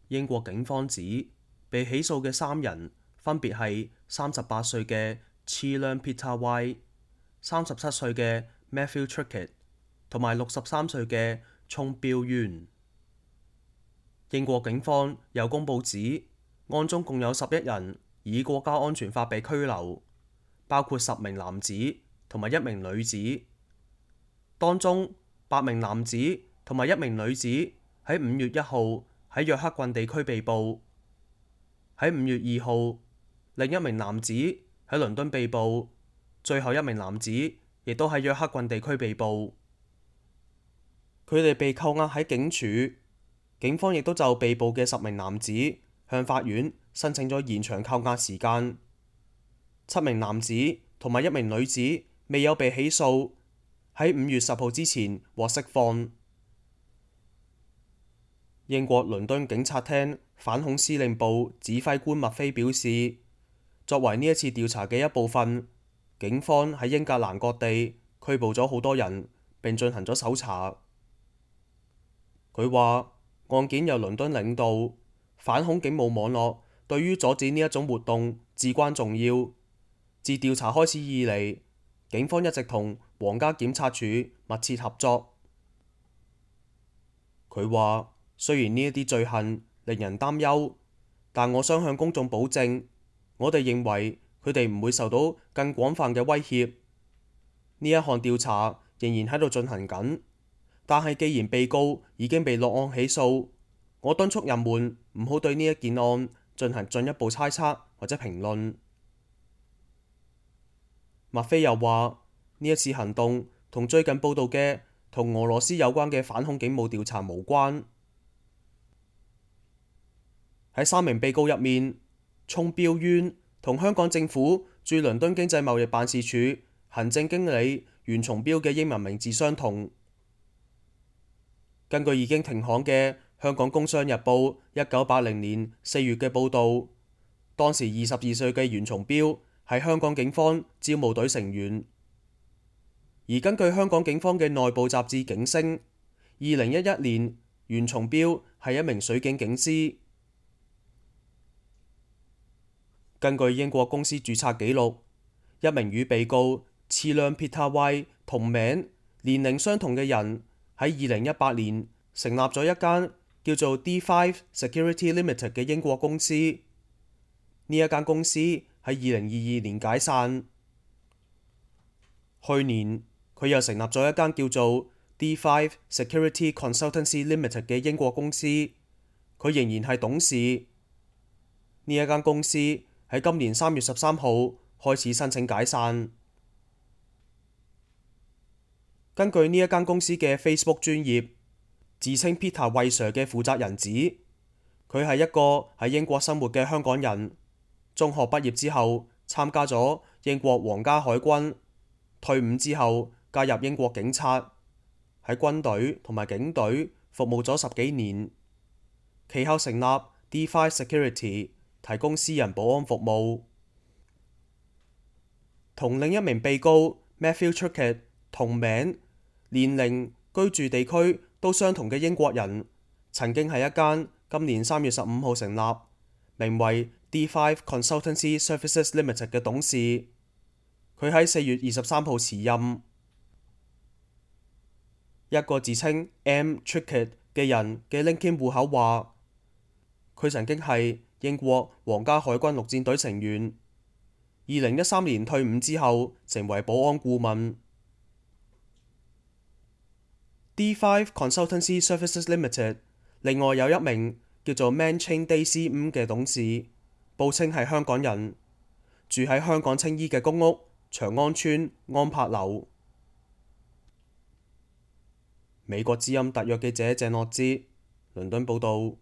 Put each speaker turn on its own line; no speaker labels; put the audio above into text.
英國警方指被起訴嘅3人分別係38歲嘅 Chilam Pitawai、37歲嘅 Matthew Trickett 同埋63歲嘅 Chong Bill Yuen。英國警方又公佈指，案中共有11人以國家安全法被拘留，包括10名男子同埋1名女子。當中8名男子同埋1名女子喺5月1號喺約克郡地區被捕，喺5月2號另一名男子喺倫敦被捕，最後1名男子亦都喺約克郡地區被捕。佢哋被扣押喺警署，警方亦都就被捕嘅10名男子向法院申請咗延長扣押時間。7名男子同埋1名女子未有被起訴，喺5月10號之前獲釋放。英國倫敦警察廳反恐司令部指揮官麥菲表示，作為呢一次調查嘅一部分，警方喺英格蘭各地拘捕咗好多人，並進行咗搜查。佢話案件由倫敦領導，反恐警務網絡對於阻止呢一種活動至關重要。自調查開始以嚟，警方一直同皇家檢察署密切合作。佢話雖然呢一啲罪行令人擔憂，但我想向公眾保證，我哋認為佢哋唔會受到更廣泛嘅威脅。呢一項調查仍然喺度進行緊，但係既然被告已經被落案起訴，我敦促人們唔好對呢一件案進行進一步猜測或者評論。麥菲又話呢一次行動同最近報道嘅同俄羅斯有關嘅反恐警務調查無關。喺3名被告入面，Chong Bill Yuen同香港政府駐倫敦經濟貿易辦事處行政經理袁松標嘅英文名字相同。根據已經停刊嘅《香港工商日報》1980年4月嘅報導，當時22歲嘅袁松標係香港警方招募隊成員。而根據香港警方嘅內部雜誌《警聲》，2011年袁松標係一名水警警司。根據英國公司註冊記錄，一名與被告Chilam Pitawai同名、年齡相同嘅人喺2018年成立咗一間叫做 D5 Security Limited 嘅英國公司。呢一間公司喺2022年解散。去年佢又成立咗一間叫做 D5 Security Consultancy Limited 嘅英國公司，佢仍然係董事。呢一間公司喺今年3月13號開始申請解散。根據呢一間公司嘅 Facebook 專頁，自稱 Peter 魏 Sir 嘅負責人指，佢係一個喺英國生活嘅香港人，中學畢業之後參加咗英國皇家海軍，退伍之後加入英國警察，喺軍隊同埋警隊服務咗10幾年，其後成立 D5 Security，提供私人保安服務。同另一名被告 Matthew Trickett 同名、年齡、居住地區都相同嘅英國人，曾經係一間今年3月15號成立，名為 D5 Consultancy Services Limited 嘅董事。佢喺4月23號辭任。一個自稱 M. Trickett 嘅人嘅 LinkedIn 戶口話，佢曾經係英國皇家海軍陸戰隊成員，2013年退伍之後成為保安顧問。D5 Consultancy Services Limited 另外有一名叫做 Manching Daisy 嘅董事，報稱係香港人，住喺香港青衣嘅公屋長安邨安柏樓。美國之音特約記者鄭樂之倫敦報導。